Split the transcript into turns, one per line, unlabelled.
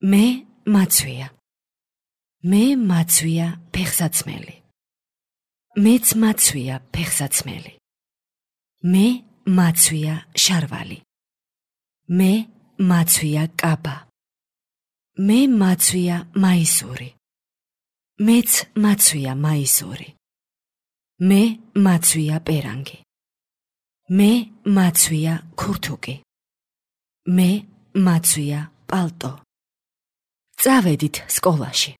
მე მაცვია. მე მაცვია ფეხსაცმელი. მეც მაცვია ფეხსაცმელი. მე მაცვია შარვალი. მე მაცვია კაბა. მე მაცვია მაისური. მეც მაცვია მაისური. მე მაცვია პერანგი. მე მაცვია ქურთუკი. მე მაცვია პალტო. წავედით სკოლაში.